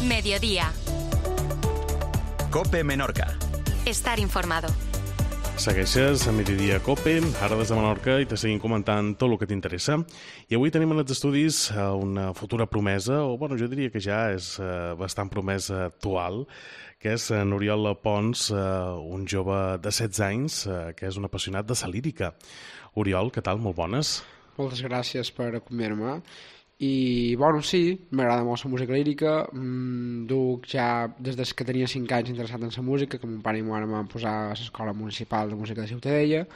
Mediodía. COPE Menorca. Estar informado. Segueixes a Mediodía COPE, ara des de Menorca, i te seguim comentant tot el que t'interessa. I avui tenim en els estudis una futura promesa, o jo diria que ja és bastant promesa actual, que és n'Oriol Pons, un jove de 16 anys que és un apassionat de la lírica. Oriol, què tal? Molt bones. Moltes gràcies per acomiadar-me. I, sí, m'agrada molt la música lírica. Duc ja, des que tenia 5 anys interessat en la música, que mon pare i ma mare em van posar a l'Escola Municipal de Música de Ciutadella.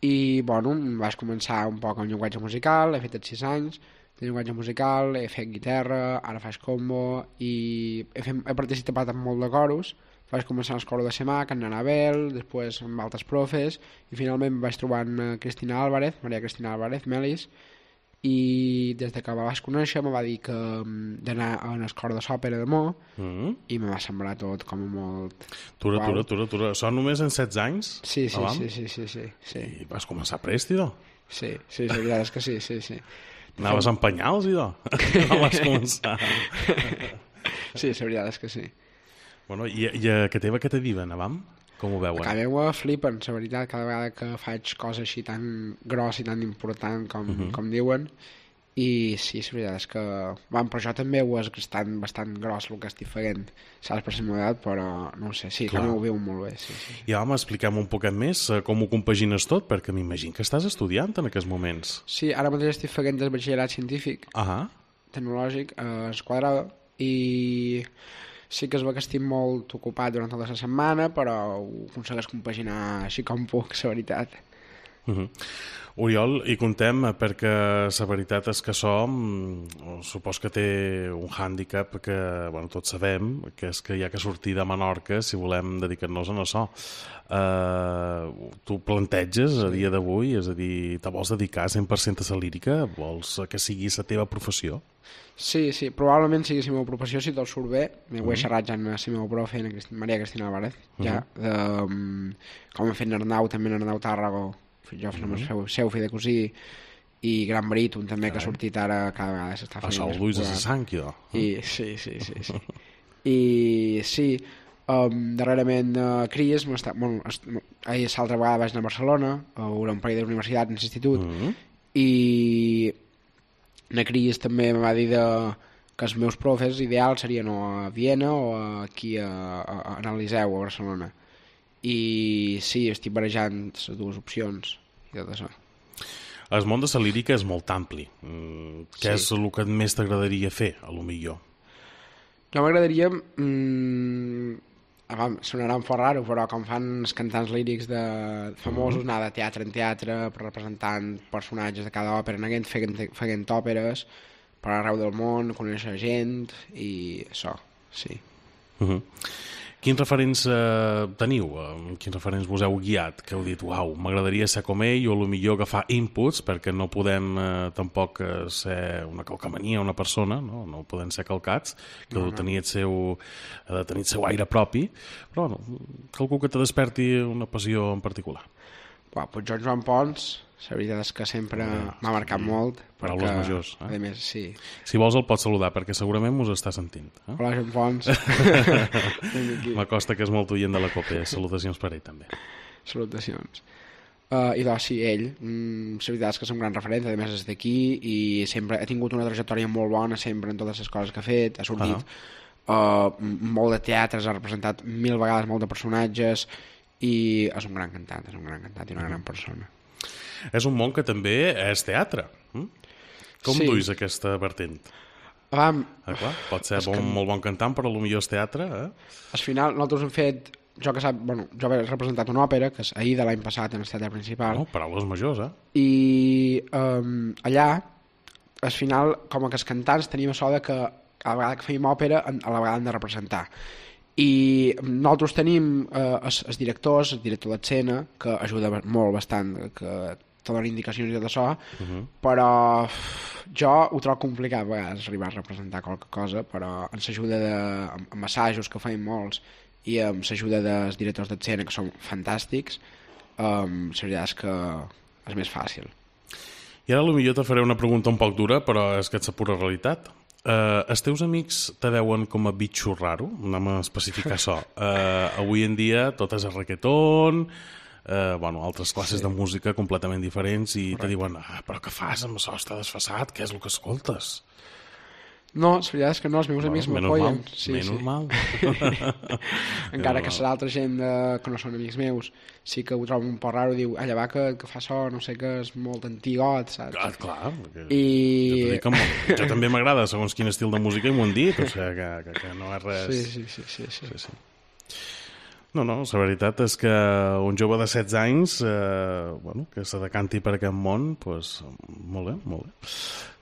I, vaig començar un poc amb llenguatge musical, he fet els 6 anys de llenguatge musical, he fet guitarra, ara faig combo, i he participat en molt de coros. Vaig començar al coro de Semac, amb Anabel, després amb altres profes, i finalment vaig trobar amb Cristina Álvarez, Maria Cristina Álvarez, Melis, i des que la vaig conèixer me va dir que d'anar a un cor de l'òpera de Mo, i me va semblar tot com a molt... Tura. Són només en 16 anys? Sí. I vas començar prest, idò? Sí, la veritat és que sí. Anaves amb penyals, idò? No vas començar? Sí, la veritat és que sí. I a que teva què te diuen, avam? Com ho veuen? A casa meva flipen, la veritat, cada vegada que faig coses així tan gros i tan important com diuen. I sí, la veritat és que... però jo també ho és bastant gros el que estic fent, saps, per la meva edat, però no ho sé, sí, també ho viu molt bé. Sí. I expliquem un poquet més com ho compagines tot, perquè m'imagino que estàs estudiant en aquests moments. Sí, ara mateix estic fent el batxillerat científic, tecnològic, a Esquadrada, i... sí que es veu que estic molt ocupat durant tota la setmana, però ho aconsegueix compaginar així com puc, la veritat. Oriol, hi contem perquè la veritat és que supos que té un hàndicap que, tots sabem, que és que hi ha que sortir de Menorca si volem dedicar-nos a això. Tu planteges a dia d'avui, és a dir, te vols dedicar 100% a la lírica? Vols que sigui la teva professió? Sí, probablement sigui la meva professió si tot surt bé. Ho he xerrat ja amb la meva profe, Maria Cristina Álvarez, ja, com he fet Arnau, també Arnau Tàrrago, jo seu fill de cosí, i Gran Baríton també, que ha sortit ara cada vegada s'està fent. Això el Luis de Sang, idò. Sí. I sí, darrerament Cries, l'altra vegada vaig anar a Barcelona, a un parell d'universitats, en l'institut, i a Cries també em va dir que els meus profes ideals serien o a Viena o aquí a Liceu, a Barcelona. I sí, estic barejant les dues opcions i tot això. El món de la lírica és molt ampli. Què és el que més t'agradaria fer, a lo millor? Jo m'agradaria... sonarà un fort raro, però com fan els cantants lírics famosos, anar de teatre en teatre, representant personatges de cada òpera, anant fent òperes per arreu del món, conèixer gent, i això, sí. Quins referents teniu? Quins referents vos heu guiat? Que heu dit, uau, m'agradaria ser com ell, o potser agafar inputs, perquè no podem tampoc ser una calcamania, una persona, no podem ser calcats, que ha de tenir el seu aire propi, però qualcú que te desperti una passió en particular. Pues Joan Pons, la veritat és que sempre m'ha marcat molt. Paraules majors. A més, sí. Si vols el pots saludar, perquè segurament mos està sentint. Hola, Joan Pons. M'acosta que és molt oient de la COPE. Salutacions per ell, també. Salutacions. I sí, ell, la veritat és que és un gran referent, a més és d'aquí, i sempre ha tingut una trajectòria molt bona, sempre en totes les coses que ha fet, ha sortit molt de teatres, ha representat 1000 vegades molt de personatges, i és un gran cantant i una gran persona. És un món que també és teatre. Com duis aquesta vertent? Pot ser molt bon cantant, però potser és teatre. Al final, nosaltres hem fet... Jo he representat una òpera, que és Aida l'any passat en el teatre principal. Paraules majors, I allà, al final, com que els cantants tenim això que a la vegada que fèiem òpera, a la vegada hem de representar. I nosaltres tenim els directors, el director d'escena, que ajuda molt bastant, que te donen indicacions i tot això, però jo ho trobo complicat a vegades arribar a representar qualque cosa, però ens ajuda amb assajos, que feim molts, i amb l'ajuda dels directors d'escena, que són fantàstics, la veritat és que és més fàcil. I ara potser te faré una pregunta un poc dura, però és que és la pura realitat. Els teus amics te veuen com a bitxo raro? Anem a especificar això. Avui en dia tot és el reggaeton, altres classes de música completament diferents i te diuen, però què fas amb això? Està desfasat, què és el que escoltes? No, la veritat és que no, els meus amics m'apoyen. Normal. Encara que serà altra gent que no són amics meus, sí que ho trobo un poc raro, diu, allà va que fa això, no sé què, és molt antigot, saps? Clar. Jo també m'agrada segons quin estil de música i m'ho han dit, o sigui que no és res... Sí. No, la veritat és que un jove de 16 anys que se decanti per aquest món, doncs molt bé.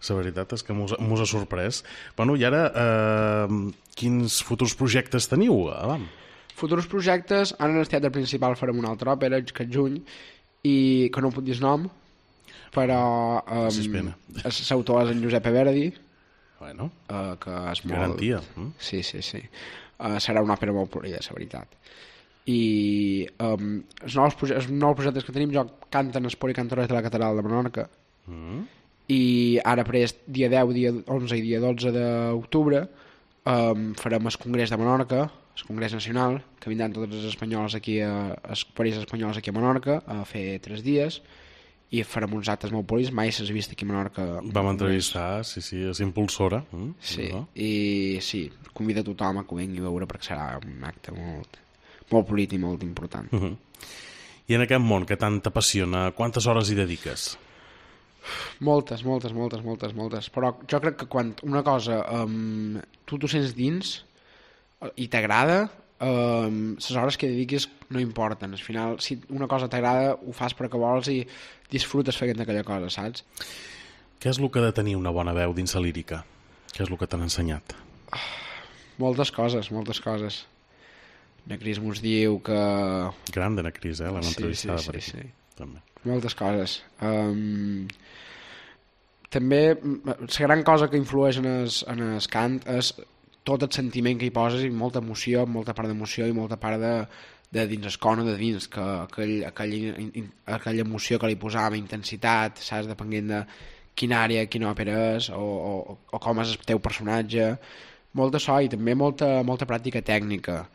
La veritat és que mos ha sorprès. I ara, quins futurs projectes teniu? Futurs projectes, ara en el teatre principal farem una altra òpera, que és juny, i que no puc dir el nom, però l'autor és en Giuseppe Verdi, que és molt... Garantia. Sí. Serà una òpera molt polida, la veritat. I els nous projectes que tenim, jo canto en el Policantoret de la Catedral de Menorca, i ara dia 10, dia 11 i dia 12 d'octubre farem el Congrés de Menorca, el Congrés Nacional, que vindran tots els espanyols aquí els països espanyols aquí a Menorca a fer 3 dies, i farem uns actes molt polis, mai s'has vist aquí a Menorca. Vam entrevistar, sí, és impulsora. Sí, i sí, convida tothom a que ho vingui a veure perquè serà un acte molt polit i molt important. I en aquest món que tant t'apassiona, quantes hores hi dediques? Moltes, però jo crec que quan una cosa tu t'ho sents dins i t'agrada, les hores que dediquis no importen. Al final, si una cosa t'agrada, ho fas perquè vols i disfrutes fent aquella cosa, saps? Què és el que ha de tenir una bona veu dins la lírica? Què és el que t'han ensenyat? Moltes coses. Nacris mos diu que... Gran de Nacris, l'hem entrevistada per aquí. Sí. També. Moltes coses. També, la gran cosa que influeix en el cant és tot el sentiment que hi poses i molta emoció, molta part d'emoció i molta part de dins el cono de dins, que aquella emoció que li posàvem, intensitat, saps, depenent de quina àrea, quina òpera és o com és el teu personatge, molta so i també molta pràctica tècnica.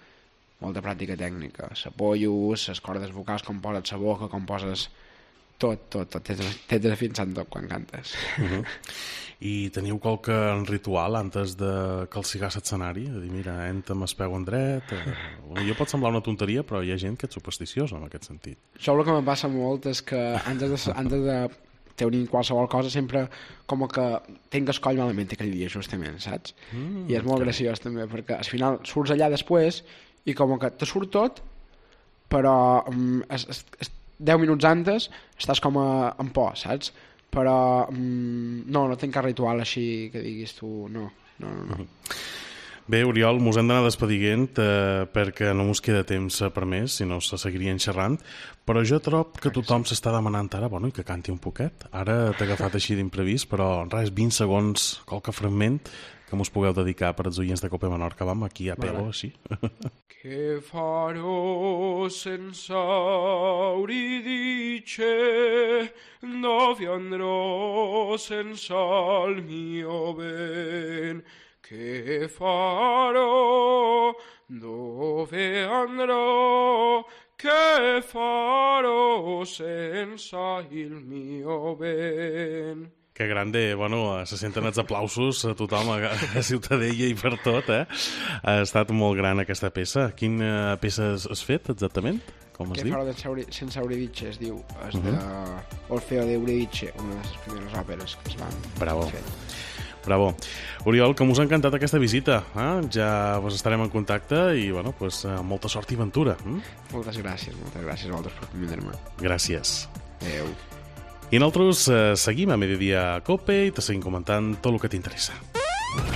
S'apollos, les cordes vocals, com poses la boca, com poses tot, t'has de fins en tot quan cantes. I teniu qualque ritual antes de calcigar l'escenari? De dir, mira, entra amb el peu en dret... Jo pot semblar una tonteria, però hi ha gent que és supersticiosa en aquest sentit. Això el que em passa molt és que antes de tenir qualsevol cosa sempre com que tinc el coll malament aquell dia, justament, saps? I és molt graciós també, perquè al final surts allà després i com que te surt tot, però 10 minuts antes estàs com en por, saps? Però no tinc cap ritual així que diguis tu, no. Bé, Oriol, mos hem d'anar despedint perquè no mos queda temps per més, si no se seguirien xerrant, però jo trobo que tothom s'està demanant ara, i que canti un poquet. Ara t'he agafat així d'imprevist, però res, 20 segons, qualque fragment que mos pugueu dedicar per als oients de Cope Menorca. Vam aquí a pelo, així. Che farò senza Euridice, dove andrò senza il mio ben? Che farò, dove andrò, che farò senza il mio ben? Que grande, se senten els aplausos a tothom, a Ciutadella i per tot, Ha estat molt gran aquesta peça. Quina peça has fet, exactament? Com es diu? Que farò sense Euridice, es diu. És d'Orfeo d'Euridice, una de les primeres òperes que es van fer. Bravo. Oriol, que mos ha encantat aquesta visita. Ja estarem en contacte i, molta sort i ventura. Moltes gràcies a vosaltres per convidar-me. Gràcies. Adéu. I nosaltres seguim a Mediodía Cope y te seguim comentant tot el que t'interessa.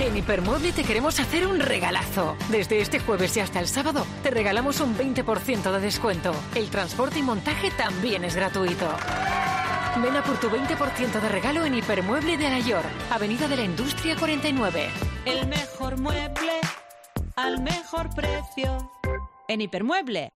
En Hipermueble te queremos hacer un regalazo. Desde este jueves y hasta el sábado te regalamos un 20% de descuento. El transporte y montaje también es gratuito. Ven a por tu 20% de regalo en Hipermueble de Alayor, Avenida de la Industria 49. El mejor mueble al mejor precio. En Hipermueble.